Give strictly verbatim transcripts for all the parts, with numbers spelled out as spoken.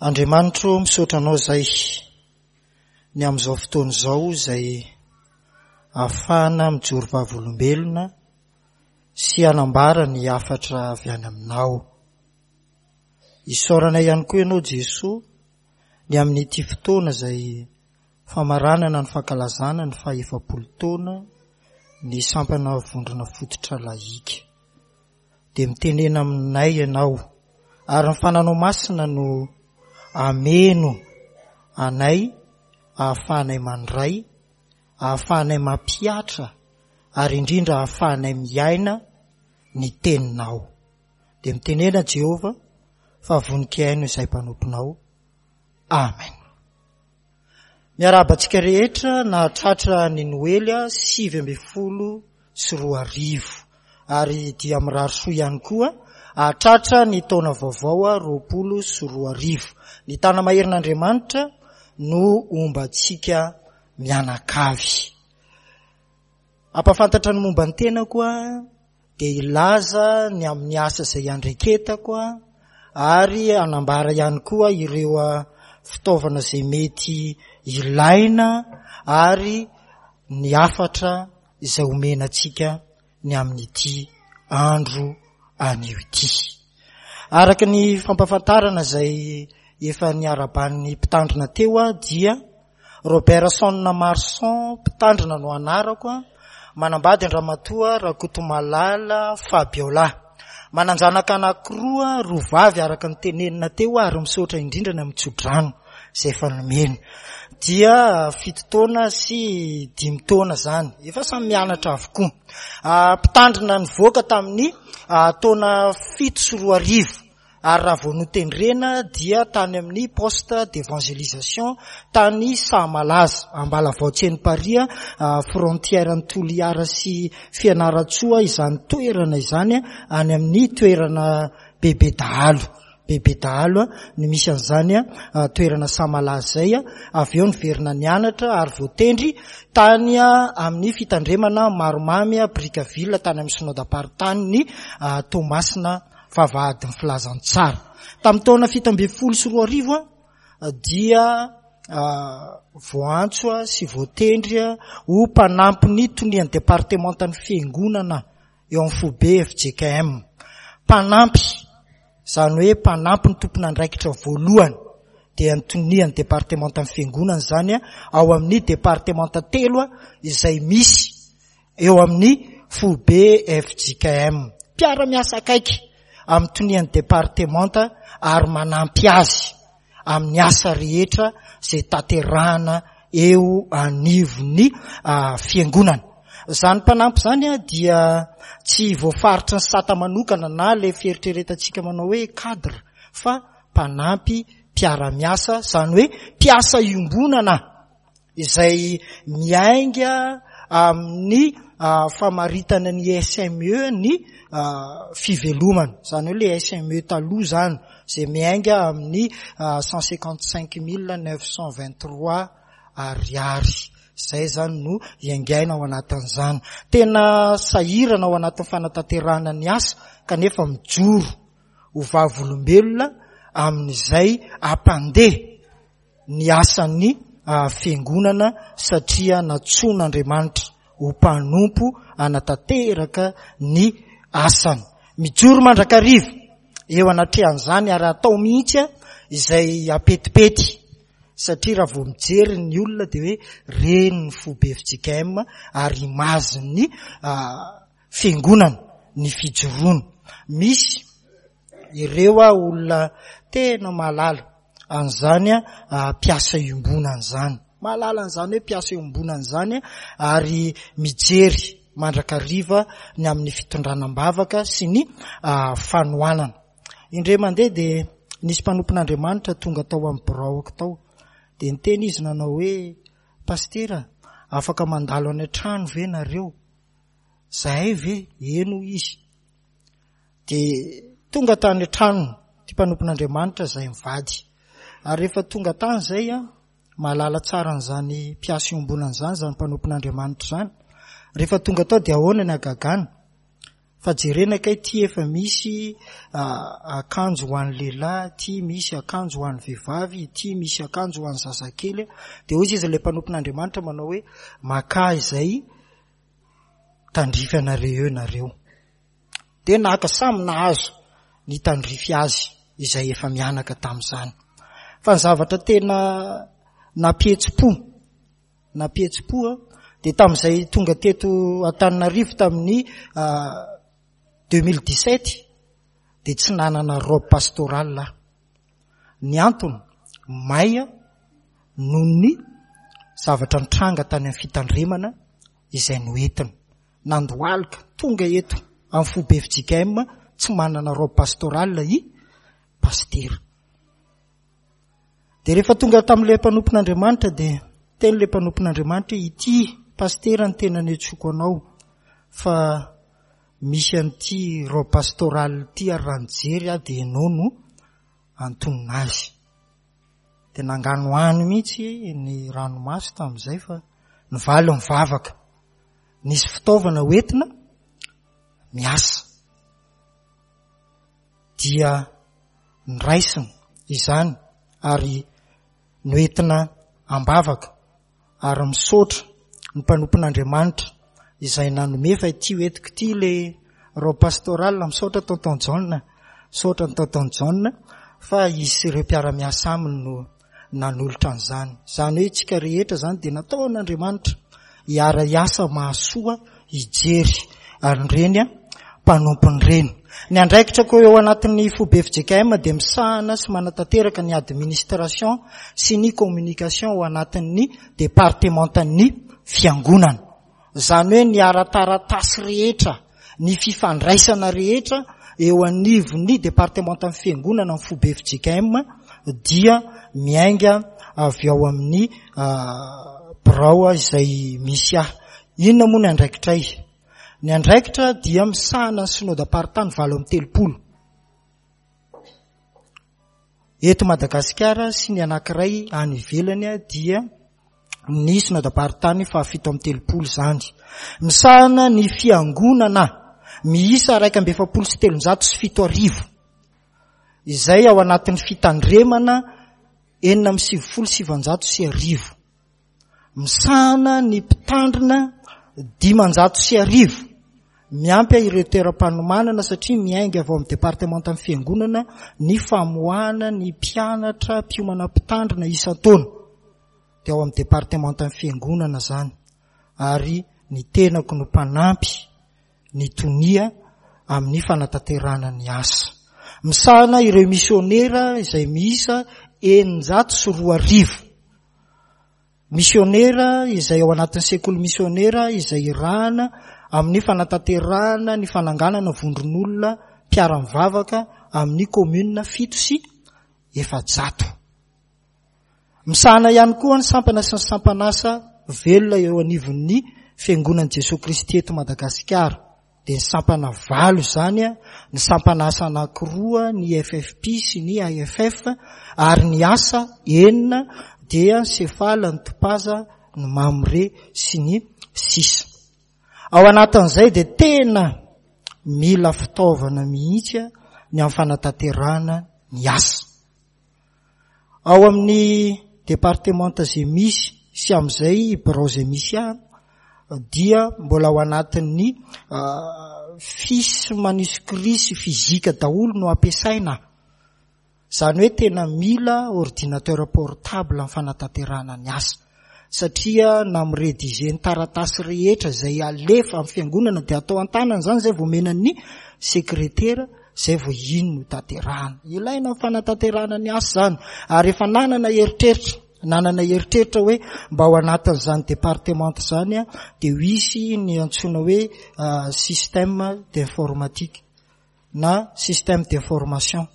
Andriamanitro, misaotra anao izay ny amin'izao fotoana izao izay ahafahana mijoro vavolombelona sy hanambara ny hafatra avy any aminao. Isaorana ihany koa ianao Jesoa ny amin'ity fotoana izay famaranana ny fankalazana ny faha-efapolo taona ny sampana vondrona fototra lahika. Dia mitenena aminay ianao ary ny fananao masina no ameno anay ahafahanay mandray, ahafahanay mampihatra ary indrindra ahafahanay miaina ny teninao. Dia mitenena Jehovah fa vonon-kihaino izay mpanomponao. Amen. Miarahaba antsika rehetra nahatratra ny Noely sivy ambin'ny folo sy roa arivo ary dia mirary soa ihany koa hahatratra ny taona vaovao roapolo sy roa arivo. Ny tana-maherin'Andriamanitra no homba antsika mianakavy. Hampahafantatra ny momba ny tenako aho dia hilaza ny amin'ny asa izay iandraiketako ary hanambara ihany koa ireo fitaovana izay mety ilaina ary ny hafatra izay omena antsika ny amin'ity andro anio ity. Araka ny fampahafantarana izay efa niaraban'ny mpitandrina teo aho dia Robertson Marson mpitandrina no anarako, manambady an-dRamatoa Rakotomalala Fabiola. Manan-janaka anankiroa, roa vavy araka ny tenenina teo ary misaotra indrindra ny amin'ny tsodrano izay efa nomena. Dia fito taona sy dimy taona izany, efa samy mianatra avokoa. Mpitandrina nivoaka tamin'ny taona fito sy roa arivo ary raha vao notendrena dia tany amin'ny poste d'évangélisation tany Sahamalaza, Ambalavao Tseniparia, frontière an'i Toliara sy Fianarantsoa izany toerana izany, any amin'ny toerana bebe dahalo. Bebe dahalo no misy an'izany toerana Sahamalaza izay. Avy eo niverina nianatra ary voatendry tany amin'ny fitandremana Maromamy Brickaville tany amin'ny synodam-paritany Toamasina vavahadin'ny filazantsara. Tamin'ny taona fito ambin'ny folo sy roa arivo dia voantso sy voatendry ho mpanampy ny tonian'ny departemantan'ny fiangonana eo amin'ny foibe F J K M. Mpanampy, izany hoe mpanampy ny tompon'andraikitra voalohany dia ny tonian'ny departemantan'ny fiangonana izany ao amin'ny departemanta telo izay misy eo amin'ny foibe F J K M. Mpiara-miasa akaiky amin'ny tonian'ny departemanta ary manampy azy amin'ny asa rehetra izay tanterahana eo anivon'ny fiangonana. Izany mpanampy izany dia tsy voafaritry ny sata manokana na ilay fieritreretantsika manao hoe cadre, fa mpanampy mpiara-miasa, izany hoe mpiasa iombonana izay miainga amin'ny famaritana ny S M E ny fivelomana. Izany hoe ilay S M E taloha izany izay miainga amin'ny cent cinquante cinq mille neuf cent vingt trois ariary. Izay izany no iaingaina ao anatin'izany. Tena sahirana ao anatin'ny fanatanterahana ny asa kanefa mijoro ho vavolombelona amin'izay hampandeha ny asan'ny fiangonana satria nantsoin'Andriamanitra ho mpanompo hanatanteraka ny asany. Mijoro mandrakariva eo anatrehan'izany ary atao mihitsy izay apetipety satria raha vao mijery ny olona dia hoe reny ny foibe F J K M ary imazin'ny fiangonana ny fijoroana. Misy ireo olona tena mahalala an'izany mpiasa iombonana izany. Mahalala an'izany hoe mpiasa iombonana izany ary mijery mandrakariva ny amin'ny fitondrana am-bavaka sy ny fanohanana. Indray mandeha dia nisy mpanompon'Andriamanitra tonga tao amin'ny biraoko tao. Dia niteny izy nanao hoe, Pastera, afaka mandalo any an-trano ve nareo? Zahay ve? Eny hoy izy. Dia tonga tany an-trano ity mpanompon'Andriamanitra izay mivady. Ary rehefa tonga tany izay, mahalala tsara an'izany mpiasa iombonana izany, izany mpanompon'Andriamanitra izany. Rehefa tonga tao dia ahoana ny hagagana? Fa jerena kay ity efa misy akanjo ho an'ny lehilahy, ity misy akanjo ho an'ny vehivavy, ity misy akanjo ho an'ny zazakely. Dia hoy izy ilay mpanompon'Andriamanitra manao hoe makà izay tandrify anareo eo nareo. Dia naka samy nahazo ny tandrify azy izay efa mianaka tamin'izany. Fa ny zavatra tena nampihetsi-po, nampihetsi-po dia tamin'izay tonga teto Antananarivo tamin'ny deux mille dix-sept dia tsy nanana robe pastorale aho. Ny antony may noho ny zavatra nitranga tany amin'ny fitandremana izay noentina. Nandohalika tonga eto amin'ny foibe F J K M tsy manana robe pastorale i pastera. Dia rehefa tonga tamin'ilay mpanompon'Andriamanitra dia teny ilay mpanompon'Andriamanitra hoe ity pastera ny tena niantsoako anao fa misy an'ity robe pastorale ity ary raha nijery aho dia ianao no antonona azy. Dia nanganohano mihitsy ny ranomaso tamin'izay fa nivaly nivavaka. Nisy fitaovana hoentina miasa. Dia niraisina izany ary noentina am-bavaka ary misaotra ny mpanompon'Andriamanitra izay nanome fa ity hoentiko ity ilay robe pastorale. Misaotra tonton John, misaotra ny tonton John fa izy sy ireo mpiara-miasa aminy no nanolotra an'izany. Izany hoe tsika rehetra izany dia nataon'Andriamanitra hiara-hiasa mahasoa hijery an'ireny mpanompon'ireny. Ny andraikitra koa eo anatin'ny foibe F J K M dia misahana sy manatanteraka ny administration sy ny communication ao anatin'ny departementan'ny fiangonana. Izany hoe ny ara-taratasy rehetra, ny fifandraisana rehetra eo anivon'ny departementan'ny fiangonana ny foibe F J K M dia miainga avy ao amin'ny birao izay misy ahy. Inona moa ny andraikitray? Ny andraikitra dia misahana ny synodam-paritany valo amby telopolo eto Madagasikara sy ny anankiray any ivelany dia ny synodam-paritany fahafito amby telopolo izany. Misahana ny fiangonana miisa iraika amby efapolo sy telonjato sy fito arivo izay ao anatin'ny fitandremana enina amby sivifolo sy sivanjato sy arivo. Misahana ny mpitandrina dimanjato sy arivo miampy ireo toeram-panomanana satria miainga avy ao amin'ny departementan'ny fiangonana ny famoahana ny mpianatra mpiomana mpitandrina isan-taona. Dia ao amin'ny departementan'ny fiangonana izany ary ny tenako no mpanampy ny tonia amin'ny fanatanterahana ny asa. Misahana ireo misionera izay miisa eninjato sy roa arivo. Misionera izay ao anatin'ny sekoly misionera izay irahana amin'ny fanatanterahana ny fananganana vondron'olona mpiara-mivavaka amin'ny commune fito sy efajato. Misahana ihany koa ny sampana sy ny sampanasa velona eo anivon'ny fiangonan'i Jesoa Kristy eto Madagasikara. Dia ny sampana valo izany, ny sampanasa anankiroa, ny F F P sy ny A F F, ary ny asa enina dia ny Sefala, ny Topaza, ny Mamre sy ny sisa. Ao anatin'izay dia tena mila fitaovana mihitsy ny amin'ny fanatanterahana ny asa. Ao amin'ny departemanta izay misy sy amin'izay birao izay misy ahy dia mbola ao anatin'ny fiche manuscrit sy physique daholo no ampiasaina. Izany hoe tena mila ordinateur portable amin'ny fanatanterahana ny asa. Satria na mirédiger ny taratasy rehetra izay alefa amin'ny fiangonana dia atao an-tanana izany izay vao omena ny sekretera, izay vao iny no tanterahana. Ilaina amin'ny fanatanterahana ny asa izany. Ary efa nanana eritreritra, nanana eritreritra hoe mba ao anatin'izany département izany dia ho hisy ny antsoina hoe système d'informatique na système d'information.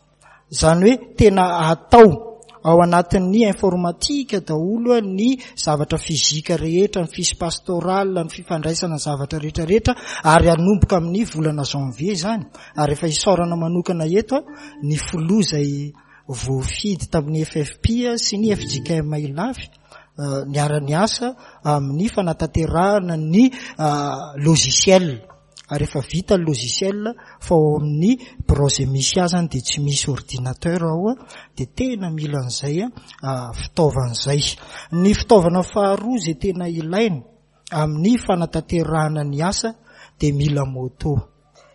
Izany hoe tena atao ao anatin'ny informatique daholo ny zavatra fizika rehetra, ny fiche pastorale, ny fifandraisana ny zavatra rehetra rehetra, ary hanomboka amin'ny volana janvier izany. Ary efa isaorana manokana eto ny filoha izay voafidy tamin'ny F F P sy ny F J K M Ilafy, niara-niasa amin'ny fanatanterahana ny logiciel Ary efa vita ny logiciel fa ao amin'ny birao izay misy azy dia tsy misy ordinateur ao, dia tena mila an'izay fitaovana izay. Ny fitaovana faharoa izay tena ilaina amin'ny fanatanterahana ny asa dia mila moto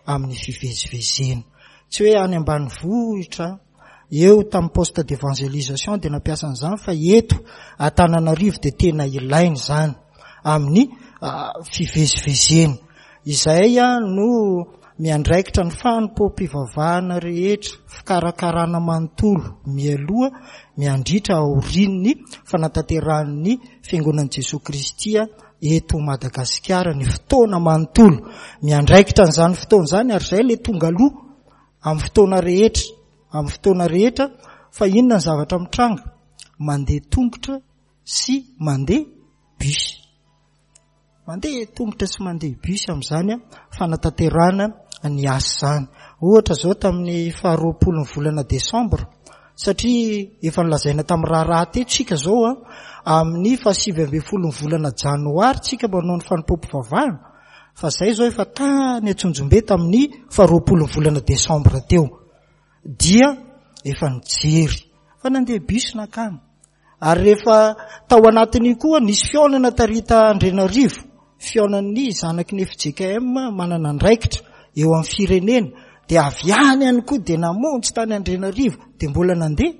amin'ny fivezivezena. Tsy hoe any ambanivohitra eo tamin'ny poste d'évangélisation dia nampiasa an'izany, fa eto Antananarivo dia tena ilaina izany amin'ny fivezivezena. Izay no miandraikitra ny fanompoam-pivavahana rehetra, fikarakarana manontolo mialoha, miandritra aorian'ny fanatanterahan'ny Fiangonan'i Jesoa Kristy eto Madagasikara ny fotoana manontolo. Miandraikitra an'izany fotoana izany, ary izay ilay tonga aloha amin'ny fotoana rehetra, amin'ny fotoana rehetra. Fa inona ny zavatra mitranga? Mandeha tongotra sy mandeha bus. Mandeha tongotra sy mandeha bus amin'izany fanatanterahana ny asa izany. Ohatra izao tamin'ny faharoapolo ny volana desambra, satria efa nolazaina tamin'ny raharaha teto tsika izao a, amin'ny fahasivy ambin'ny folo ny volana janoary tsika manao ny fanompoam-pivavahana, fa izay izao efa tany Antsonjombe tamin'ny faharoapolo ny volana desambra teo dia efa nijery fa nandeha bus nakany. Ary rehefa tao anatin'io koa nisy fihaonana tarita Andrianarivo, fihaonan'ny zanaky ny F J K M manana andraikitra eo amin'ny firenena, dia avy any ihany koa dia namonjy tany Andrianarivo, dia mbola nandeha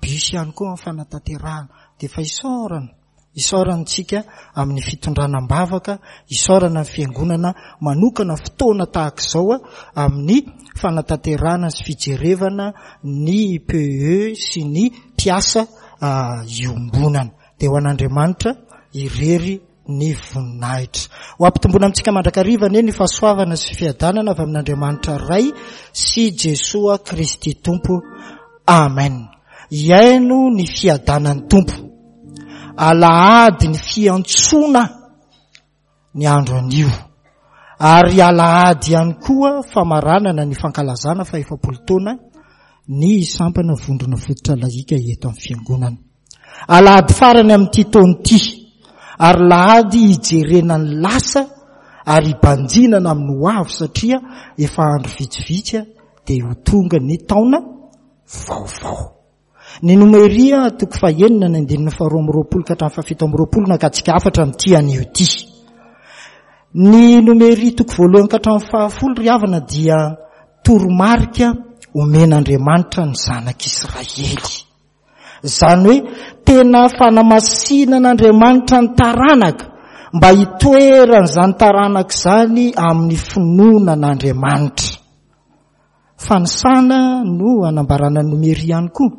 bus ihany koa amin'ny fanatanterahana. Dia efa isaorana, isaorana antsika amin'ny fitondrana am-bavaka, isaorana ny fiangonana manokana fotoana tahaka izao amin'ny fanatanterahana sy fijerevana ny P E sy ny mpiasa iombonana. Dia ho an'Andriamanitra irery ny voninahitra. Ho ampitomboina amintsika mandrakariva anie ny fahasoavana sy fiadanana avy amin'Andriamanitra Ray sy Jesoa Kristy Tompo. Amen. Iaino ny fiadanan'ny Tompo. Alahady ny fiantsoana ny andro anio. Ary alahady ihany koa famaranana ny fankalazana fa efapolo taona ny sampana vondrona fototra lahika eto amin'ny fiangonana. Alahady farany amin'ity taona ity, ary lahady hijerena ny lasa ary hibanjinana amin'ny ho avy, satria efa andro vitsivitsy dia ho tonga ny taona vaovao. Ny Nomeria toko fahenina ny andininy faharoa amby roapolo ka hatramin'ny fahafito amby roapolo nakatsika hafatra amin'ity anio ity. Ny Nomeria toko voalohany ka hatramin'ny fahafolo ry havana dia toromarika omen'Andriamanitra ny zanak'Israely. Izany hoe tena fanamasinan'Andriamanitra ny taranaka mba hitoeran'izany taranaka izany amin'ny finoana an'Andriamanitra. Fanisana no anambarana ny Nomeria ihany koa.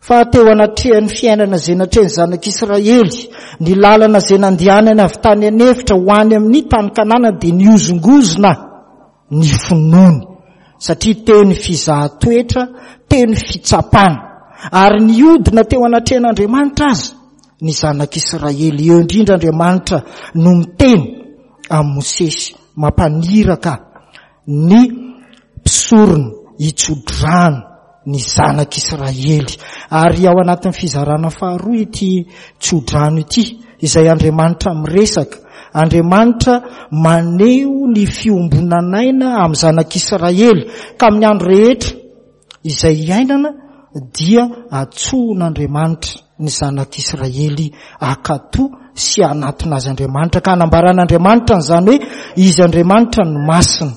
Fa teo anatrehan'ny fiainana izay natrehan'ny zanak'Israely, ny lalana izay nandehanany avy tany an'efitra ho any amin'ny tany Kanana dia nihozongozona ny finoany, satria teo ny fizahan-toetra, teo ny fitsapana, ary nihodina teo anatrehan'Andriamanitra aza ny zanak'Israely. Eo indrindra Andriamanitra no miteny amin'i Mosesy, mampaniraka ny mpisorona hitsodrano ny zanak'Israely. Ary ao anatin'ny fizarana faharoa ity tsodrano ity, izay Andriamanitra miresaka, Andriamanitra maneho ny fiombonan'aina amin'ny zanak'Israely, ka amin'ny andro rehetra izay iainana dia antsoin'Andriamanitra ny zanak'Israely hankatò sy hanatona azy Andriamanitra, ka hanambaran'Andriamanitra an'izany hoe izy Andriamanitra no masina,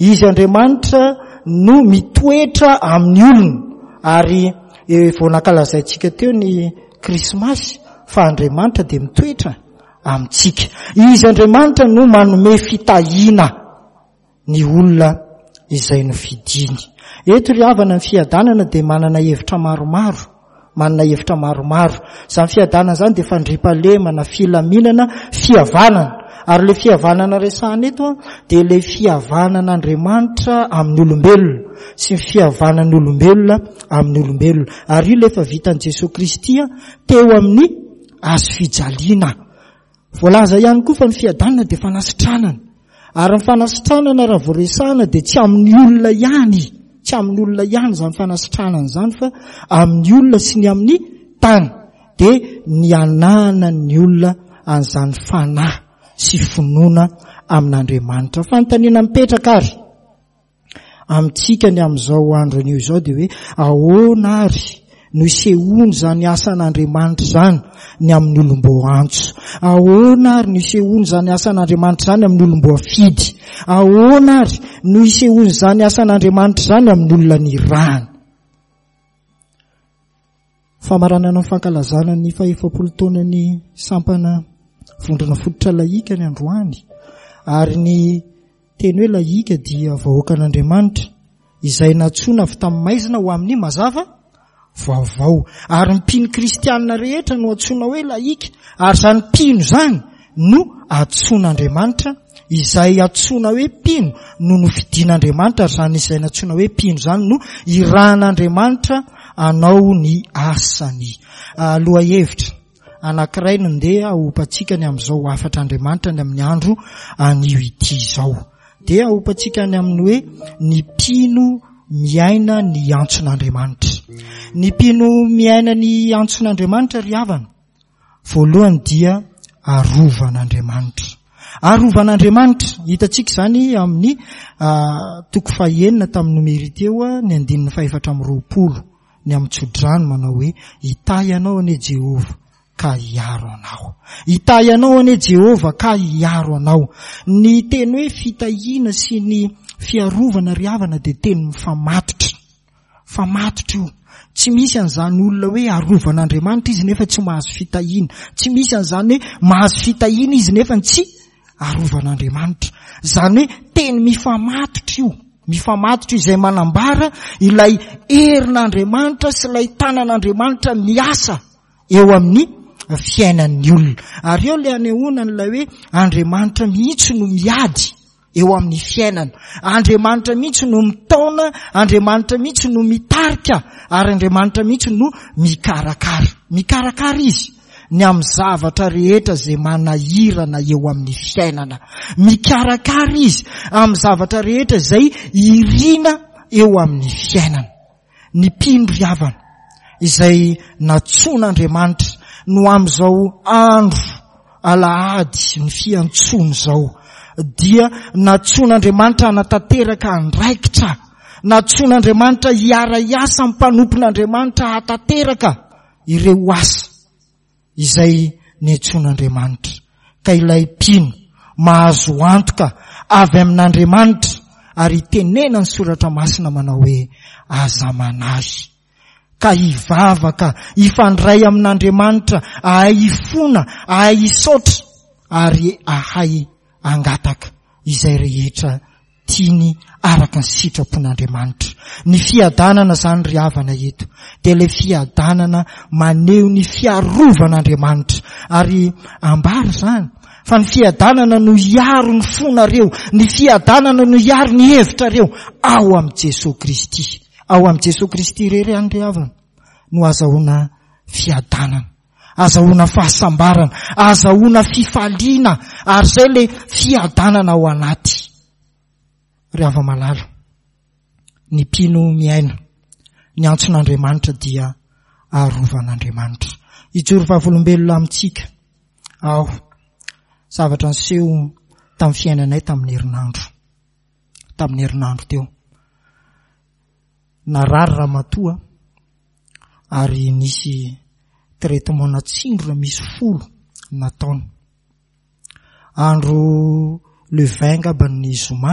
izy Andriamanitra no mitoetra amin'ny olona. Ary vao nankalazaintsika teo ny Krismasy fa Andriamanitra dia mitoetra amintsika. Izy Andriamanitra no manome fitahiana ny olona izay nofidiny. Eto ry havana, ny fiadanana dia manana hevitra maromaro, manana hevitra maromaro. Izany fiadanana izany dia fandriampahalemana, filaminana, fihavanana. Ary ilay fihavanana resahana eto dia ilay fihavanan'Andriamanitra amin'ny olombelona sy ny fihavanan'ny olombelona amin'ny olombelona. Ary io ilay efa vitan'i Jesoa Kristy teo amin'ny hazo fijaliana. Voalaza ihany koa fa ny fiadanana dia fanasitranana. Ary ny fanasitranana raha vao resahana dia tsy amin'ny olona ihany, tsy amin'ny olona ihany izany fanasitranana izany, fa amin'ny olona sy ny amin'ny tany. Dia ny ananan'ny olona an'izany fanahy sy finoana amin'Andriamanitra. Fanontaniana mipetraka ary amintsika ny amin'izao andro anio izao dia hoe ahoana ary no isehoany izany asan'Andriamanitra izany ny amin'ny olom-boaantso? Ahoana ary no isehoany izany asan'Andriamanitra izany amin'ny olom-boafidy? Ahoana ary no isehoany izany asan'Andriamanitra izany amin'ny olona nirahana? Famaranana ny fankalazana ny fahefapolo taonan'ny sampana vondrona fototra lahika ny androany, ary ny teny hoe lahika dia vahoakan'Andriamanitra izay nantsoina avy tamin'ny maizina ho amin'ny mazava vaovao, ary ny mpino kristianina rehetra no antsoina hoe lahika, ary izany mpino izany no antsoin'Andriamanitra, izay antsoina hoe mpino no nofidin'Andriamanitra, ary izany izay nantsoina hoe mpino izany no irahan'Andriamanitra anao ny asany. Lohahevitra anankiray no ndeha hopantsika ny amin'izao hafatr'Andriamanitra ny amin'ny andro anio ity izao. Dia hopantsika ny amin'ny hoe ny mpino miaina ny antson'Andriamanitra. Ny mpino miaina ny antson'Andriamanitra ry havana, voalohany dia arovan'Andriamanitra. Arovan'Andriamanitra, hitantsika izany amin'ny toko fahenina tamin'ny nomery teo, ny andininy fahefatra amby roapolo, ny amin'ny tsodrano manao hoe hitahy anao anie Jehovah ka hiaro anao. Hitahy anao anie Jehovah ka hiaro anao. Ny teny hoe fitahiana sy ny fiarovana ry havana dia teny mifamatotra. Famatotra io. Tsy misy an'izany olona hoe arovan'Andriamanitra izy nefa tsy mahazo fitahiana. Tsy misy an'izany hoe mahazo fitahiana izy nefa tsy arovan'Andriamanitra. Izany hoe teny mifamatotra io. Mifamatotra izay manambara ilay herin'Andriamanitra sy ilay tanan'Andriamanitra miasa eo amin'ny fiainan'ny olona. Ary eo ilay anehoana an'ilay hoe Andriamanitra mihitsy no miady eo amin'ny fiainana. Andriamanitra mihitsy no mitaona, Andriamanitra mihitsy no mitarika, ary Andriamanitra mihitsy no mikarakara. Mikarakara izy ny amin'ny zavatra rehetra izay manahirana eo amin'ny fiainana. Mikarakara izy amin'ny zavatra rehetra izay irina eo amin'ny fiainana. Ny mpino ry havana izay nantsoin'Andriamanitra no amin'izao andro alahady ny fiantsoana izao dia nantsoin'Andriamanitra hanatanteraka andraikitra, nantsoin'Andriamanitra hiara-hiasa amin'ny mpanompon'Andriamanitra hahatanteraka ireo asa izay niantsoan'Andriamanitra. Ka ilay mpino mahazo antoka avy amin'Andriamanitra ary itenena ny soratra masina manao hoe aza manahy, ka hivavaka hifandray amin'Andriamanitra, ahay hifona, ahay hisaotra ary ahay hangataka izay rehetra tiany araka ny sitrapon'Andriamanitra. Ny fiadanana izany ry havana eto dia ilay fiadanana maneho ny fiarovan'Andriamanitra, ary ambara izany fa ny fiadanana no hiaro ny fonareo, ny fiadanana no hiaro ny hevitrareo ao amin'i Jesoa Kristy. Ao amin'i Jesoa Kristy irery ihany ry havana no azahoana fiadanana, azahoana fahasambarana, azahoana fifaliana, ary izay ilay fiadanana ao anaty. Ry hava-malala, ny mpino miaina ny antson'Andriamanitra dia arovan'Andriamanitra. Hijoro vavolombelona amintsika aho, zavatra niseho tamin'ny fiainanay tamin'ny herinandro. Tamin'ny herinandro teo. Narary ramatoa ary nisy traitement natsindrona misy folo nataony. Andro le vingt angamba ny zoma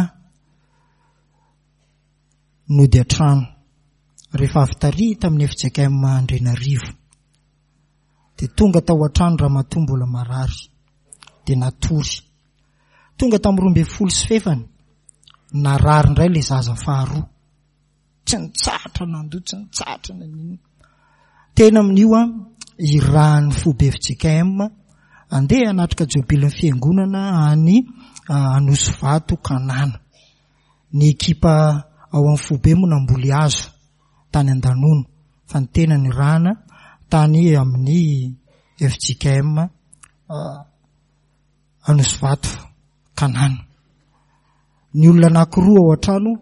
nody an-trano rehefa avy tary tamin'ny F J K M Andrianarivo. Dia tonga tao an-trano ramatoa mbola marary, dia natory. Tonga tamin'ny roa ambin'ny folo sy fefany, narary indray ilay zaza faharoa. Tsy nitsahatra nandoa, tsy nitsahatra naninona. Tena amin'io a, irahan'ny foibe F J K M andeha hanatrika jobilin'ny fiangonana any Anosivato Kanana. Ny ekipa ao amin'ny foibe moa namboly hazo tany Andanono, fa ny tena nirahana tany amin'ny F J K M Anosivato Kanana. Ny olona anankiroa ao an-trano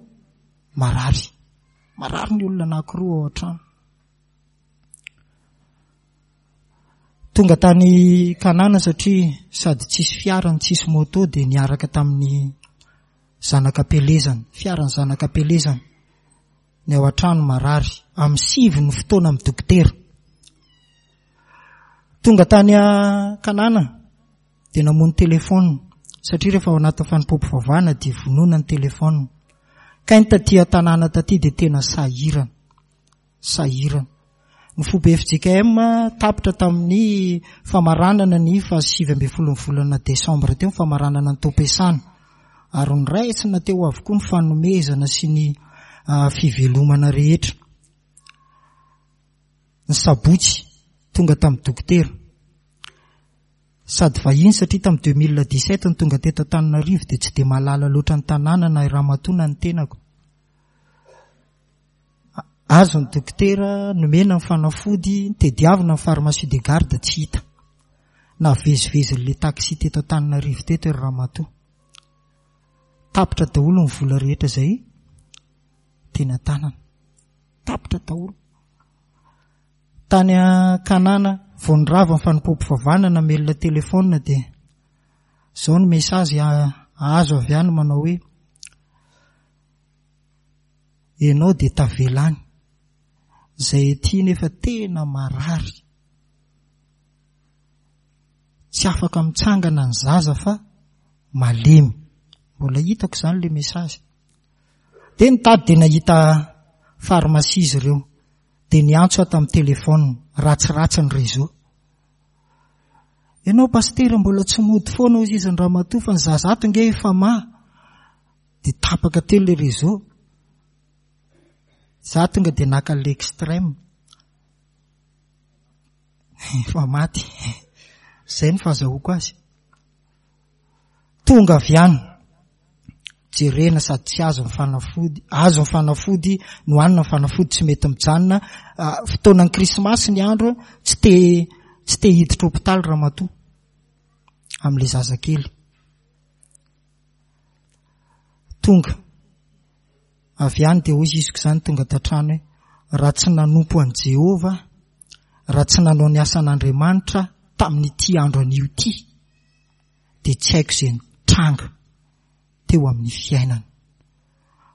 marary. Marary ny olona anankiroa ao an-trano. Tonga tany Kanana satria sady tsisy fiara no tsisy moto dia niaraka tamin'ny zanak'ampelezana, fiaran'ny zanak'ampelezana. Ny ao an-trano marary, amin'ny sivy ny fotoana amin'ny dokotera. Tonga tany Kanana dia namono telefona satria rehefa ao anatin'ny fanompoam-pivavahana dia vonoina ny telefona. Ka ny taty an-tanàna taty dia tena sahirana, sahirana. Ny foibe F J K M tapitra tamin'ny famaranana ny fahasivy ambin'ny folon'ny volana desambra teo ny famaranana ny taom-piasana. Ary noraisina teo avokoa ny fanomezana sy ny, ah, fivelomana rehetra. Ny sabotsy tonga tamin'ny dokotera. Sady vahiny satria tamin'ny deux mille dix-sept no tonga teto Antananarivo dia tsy dia mahalala loatra ny tanàna na i ramatoa na ny tenako. Azo ny dokotera, nomena ny fanafody, tediavina ny pharmacie de garde tsy hita. Navezivezin'ilay taxi teto Antananarivo teto ry ramatoa. Tapitra daholo ny vola rehetra izay teny an-tanana. Tapitra daholo. Tany Kanana vao nirava ny fanompoam-pivavahana namelona telefona dia izao ny message azo avy any manao hoe ianao dia tavela any. Izay aty nefa tena marary. Tsy afaka mitsangana ny zaza fa malemy. Mbola hitako izany le message. Dia nitady dia nahita pharmacie izy ireo. Dia niantso aho tamin'ny telefona, ratsiratsy ny réseau. Ianao pasitera mbola tsy mody foana hoy izy ny ramatoa fa ny zaza ato nge efa ma. Dia tapaka teo le réseau. Za tonga dia naka l'extrême. Efa maty. Izay no fahazahoako azy. Tonga avy any. Jerena sady tsy azo ny fanafody, azo ny fanafody, nohanina ny fanafody tsy mety mijanona. Ah, fotoanan'ny krismasy ny andro, tsy te, tsy te hiditra hopitaly ramatoa amin'ilay zazakely. Tonga avy any dia hoy izy izany tonga tatrano hoe raha tsy nanompo an'i Jehovah, raha tsy nanao ny asan'Andriamanitra tamin'ity andro anio ity, dia tsy haiko izay nitranga teo amin'ny fiainana.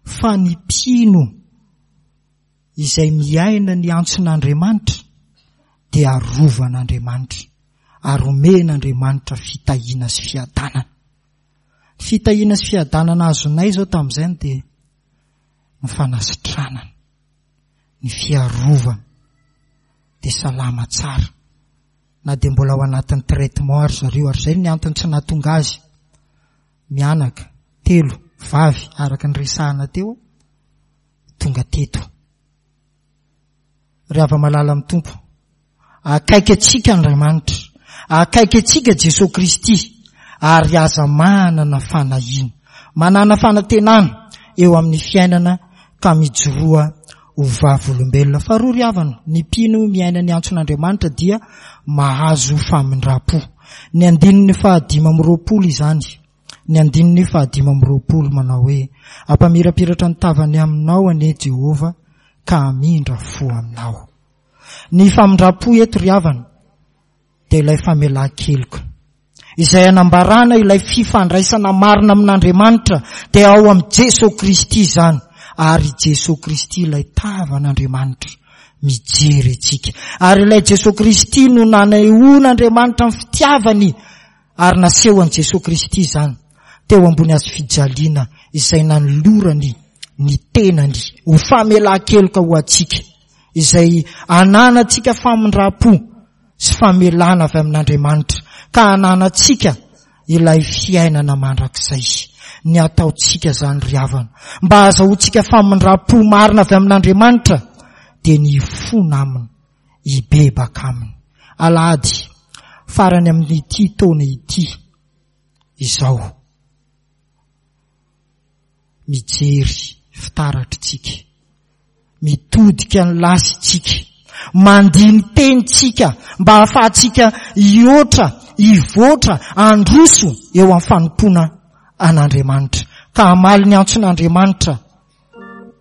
Fa ny mpino izay miaina ny antson'Andriamanitra dia arovan'Andriamanitra ary omen'Andriamanitra fitahiana sy fiadanana. Fitahiana sy fiadanana azonay izao tamin'izay dia ny fanasitranana, ny fiarovana, dia salama tsara. Na dia mbola ao anatin'ny traitement ary zareo, ary izay ny antony tsy nahatonga azy mianaka telo vavy araka ny resahana teo tonga teto. Ry hava-malala amin'ny Tompo, akaiky antsika Andriamanitra, akaiky antsika Jesoa Kristy, ary aza manana fanahiana, manana fanantenana eo amin'ny fiainana ka mijoroa ho vavolombelona. Faharoa ry havana, ny mpino miaina ny antson'Andriamanitra dia mahazo famindram-po. Ny andininy fahadimy amby roapolo izany. Ny andininy fahadimy amby roapolo manao hoe ampamirapiratra ny tavany aminao anie Jehovah ka hamindra fo aminao. Ny famindram-po eto ry havana dia ilay famelan-keloka izay anambarana ilay fifandraisana marina amin'Andriamanitra dia ao amin'i Jesoa Kristy izany, ary Jesoa Kristy ilay tavan'Andriamanitra mijery antsika, ary ilay Jesoa Kristy no nanehoan'Andriamanitra ny fitiavany ary nasehon'i Jesoa Kristy izany teo ambony hazo fijaliana izay nanolorany ny tenany ho famelan-keloka ho antsika, izay ananantsika famindram-po sy famelana avy amin'Andriamanitra ka ananantsika ilay fiainana mandrakizay. Ny ataontsika izany ry havana mba hahazahoantsika famindram-po marina avy amin'Andriamanitra dia ny hifona aminy, hibebaka aminy. Alahady farany amin'ity taona ity izao, mijery fitaratritsika, mitodika ny lasitsika, mandini-teny tsika mba hahafahantsika hihoatra, hivoatra, handroso eo amin'ny fanompoana an'Andriamanitra, ka hamaly ny antson'Andriamanitra,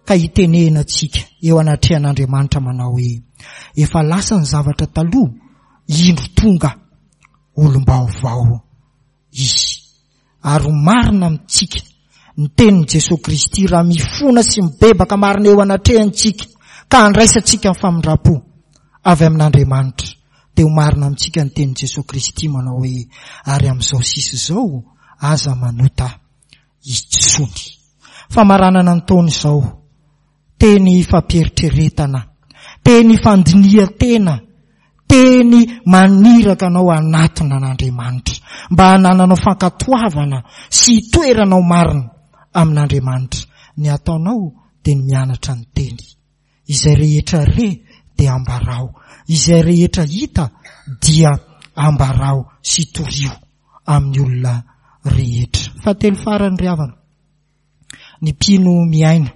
ka hitenena tsika eo anatrehan'Andriamanitra manao hoe efa lasa ny zavatra taloha, indro tonga olom-baovao izy. Ary ho marina amintsika ny tenin'i Jesoa Kristy raha mifona sy mibebaka marina eo anatrehantsika ka handraisantsika ny famindram-po avy amin'Andriamanitra, dia ho marina amintsika ny tenin'i Jesoa Kristy manao hoe, ary amin'izao sisa izao aza manota intsony. Famaranana ny taona izao, teny fampieritreretana, teny fandinihan-tena, teny maniraka anao hanatona an'Andriamanitra, mba hanananao fankatoavana sy hitoeranao marina amin'Andriamanitra. Ny ataonao dia ny mianatra ny teny. Izay rehetra re dia ambarao, izay rehetra hita dia ambarao sy torio amin'ny olona rehetra. Fahatelo farany ry havana, ny mpino miaina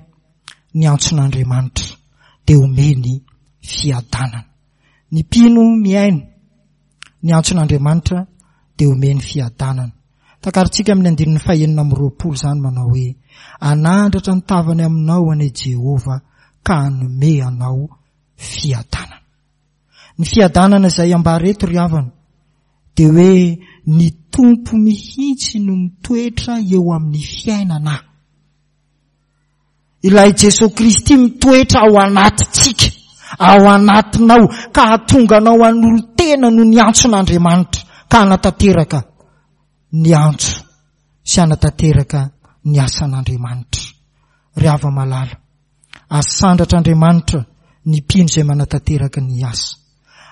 ny antson'Andriamanitra dia omeny fiadanana. Ny mpino miaina ny antson'Andriamanitra dia omeny fiadanana. Takarintsika amin'ny andininy fahenina amby roapolo izany manao hoe, anandratra ny tavany aminao anie Jehovah ka hanome anao fiadanana. Ny fiadanana izay ambara eto ry havana dia hoe ny Tompo mihitsy no mitoetra eo amin'ny fiainana. Ilay Jesoa Kristy mitoetra ao anatintsika, ao anatinao, ka hahatonga anao hanolo-tena noho ny antson'Andriamanitra, ka hanatanteraka ny antso sy hanatanteraka ny asan'Andriamanitra. Ry hava-malala, asandratr'Andriamanitra ny mpino izay manatanteraka ny asa.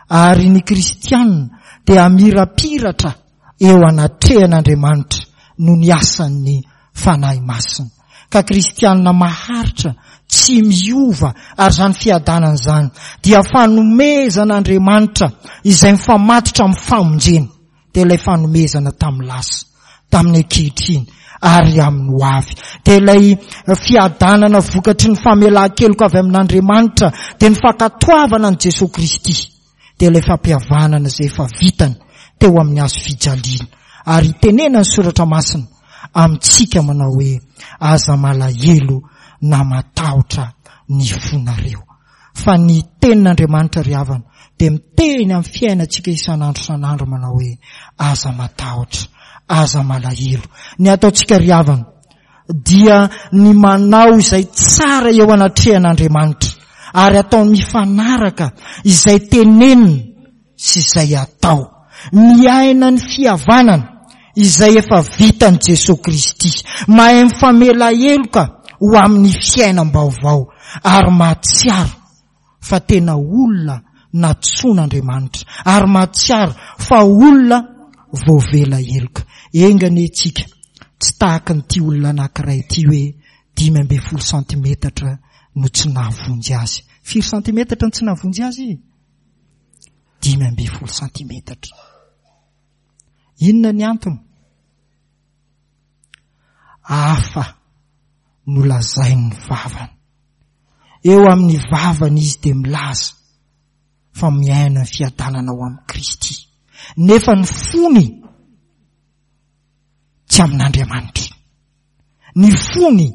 Ary ny kristiana dia hamirapiratra eo anatrehan'Andriamanitra noho ny asan'ny Fanahy Masina. Ka kristiana maharitra, tsy miova, ary izany fiadanana izany dia fanomezan'Andriamanitra izay mifamatotra amin'ny famonjena, dia ilay fanomezana tamin'ny lasa, tamin'ny ankehitriny ary amin'ny ho avy. Dia ilay fiadanana vokatry ny famelan-keloka avy amin'Andriamanitra, dia ny fankatoavana an'i Jesoa Kristy, dia ilay fampihavanana izay efa vitany teo amin'ny hazo fijaliana. Ary itenenan'ny Soratra Masina amintsika manao hoe, aza malahelo na matahotra ny fonareo. Fa ny tenin'Andriamanitra ry havana dia miteny amin'ny fiainantsika isan'andro isan'andro manao hoe, aza matahotra, aza malahelo. Ny ataontsika ry havana dia ny manao izay tsara eo anatrehan'Andriamanitra ary atao mifanaraka izay tenenina sy izay atao. Miaina ny fihavanana izay efa vitan'i Jesoa Kristy. Mahay mifamela heloka ho amin'ny fiainam-baovao ary mahatsiaro fa tena olona nantsoin'Andriamanitra ary mahatsiaro fa olona voavela heloka. Enga anie tsika tsy tahaka an'ity olona anankiray ity hoe dimy ambin'ny folo santimetatra no tsy nahavonjy azy. Firy santimetatra no tsy nahavonjy azy? Dimy ambin'ny folo santimetatra. Inona ny antony? Hafa no lazain'ny vavany. Eo amin'ny vavany izy dia milaza fa miaina ny fiadanana ao amin'i Kristy. Nefa ny fony tsy amin'Andriamanitra. Ny fony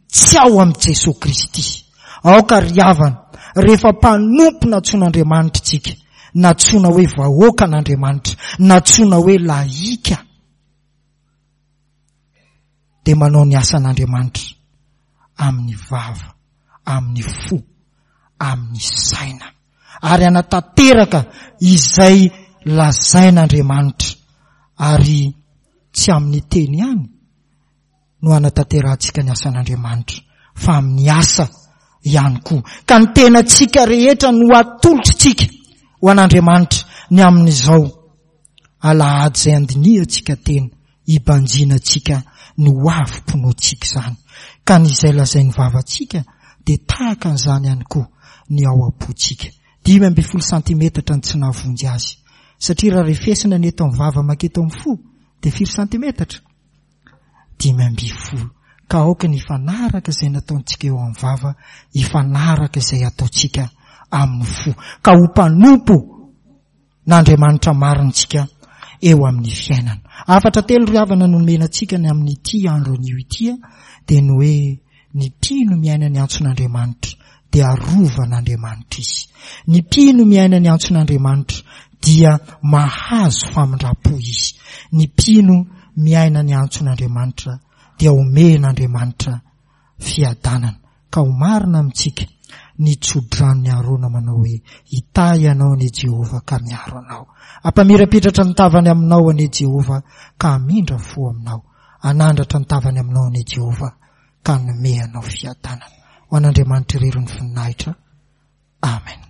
tsy ao amin'i Jesoa Kristy. Aoka ry havana, rehefa mpanompo nantsoin'Andriamanitra isika, nantsoina hoe vahoakan'Andriamanitra, nantsoina hoe lahika, dia manao ny asan'Andriamanitra amin'ny vava, amin'ny fo, amin'ny saina, ary hanatanteraka izay lazain'Andriamanitra, ary tsy amin'ny teny ihany no hanatanterahantsika ny asan'Andriamanitra, fa amin'ny asa ihany koa. Ka ny tenantsika rehetra no atolotritsika ho an'Andriamanitra ny amin'izao alahady izay andinihantsika tena, hibanjinantsika ny ho avim-pinoantsika izany. Ka ny izay lazain'ny vavantsika dia tahaka an'izany ihany koa ny ao am-pontsika. Dimy ambin'ny folo santimetatra ny tsy nahavonjy azy. Satria raha refesina ny eto amin'ny vava manketo amin'ny fo dia firy santimetatra? Dimy ambin'ny folo. Ka aoka ny hifanaraka izay nataontsika eo amin'ny vava, hifanaraka izay ataontsika amin'ny fo. Ka ho mpanompo n'Andriamanitra marina isika eo amin'ny fiainana. Hafatra telo ry havana no nomena antsika ny amin'ity andro anio ity dia ny hoe ny mpino miaina ny antson'Andriamanitra dia arovan'Andriamanitra izy. Ny mpino miaina ny antson'Andriamanitra dia mahazo famindram-po izy. Ny mpino miaina ny antson'Andriamanitra dia omen'Andriamanitra fiadanana. Ka ho marina amintsika ny tsodranon'i Arona manao hoe, Hitahy anao anie Jehovah ka miaro anao. Hampamirapiratra ny tavany aminao anie Jehovah ka hamindra fo aminao. Hanandratra ny tavany aminao anie Jehovah ka hanome anao fiadanana. Ho an'Andriamanitra irery ny voninahitra. Amen.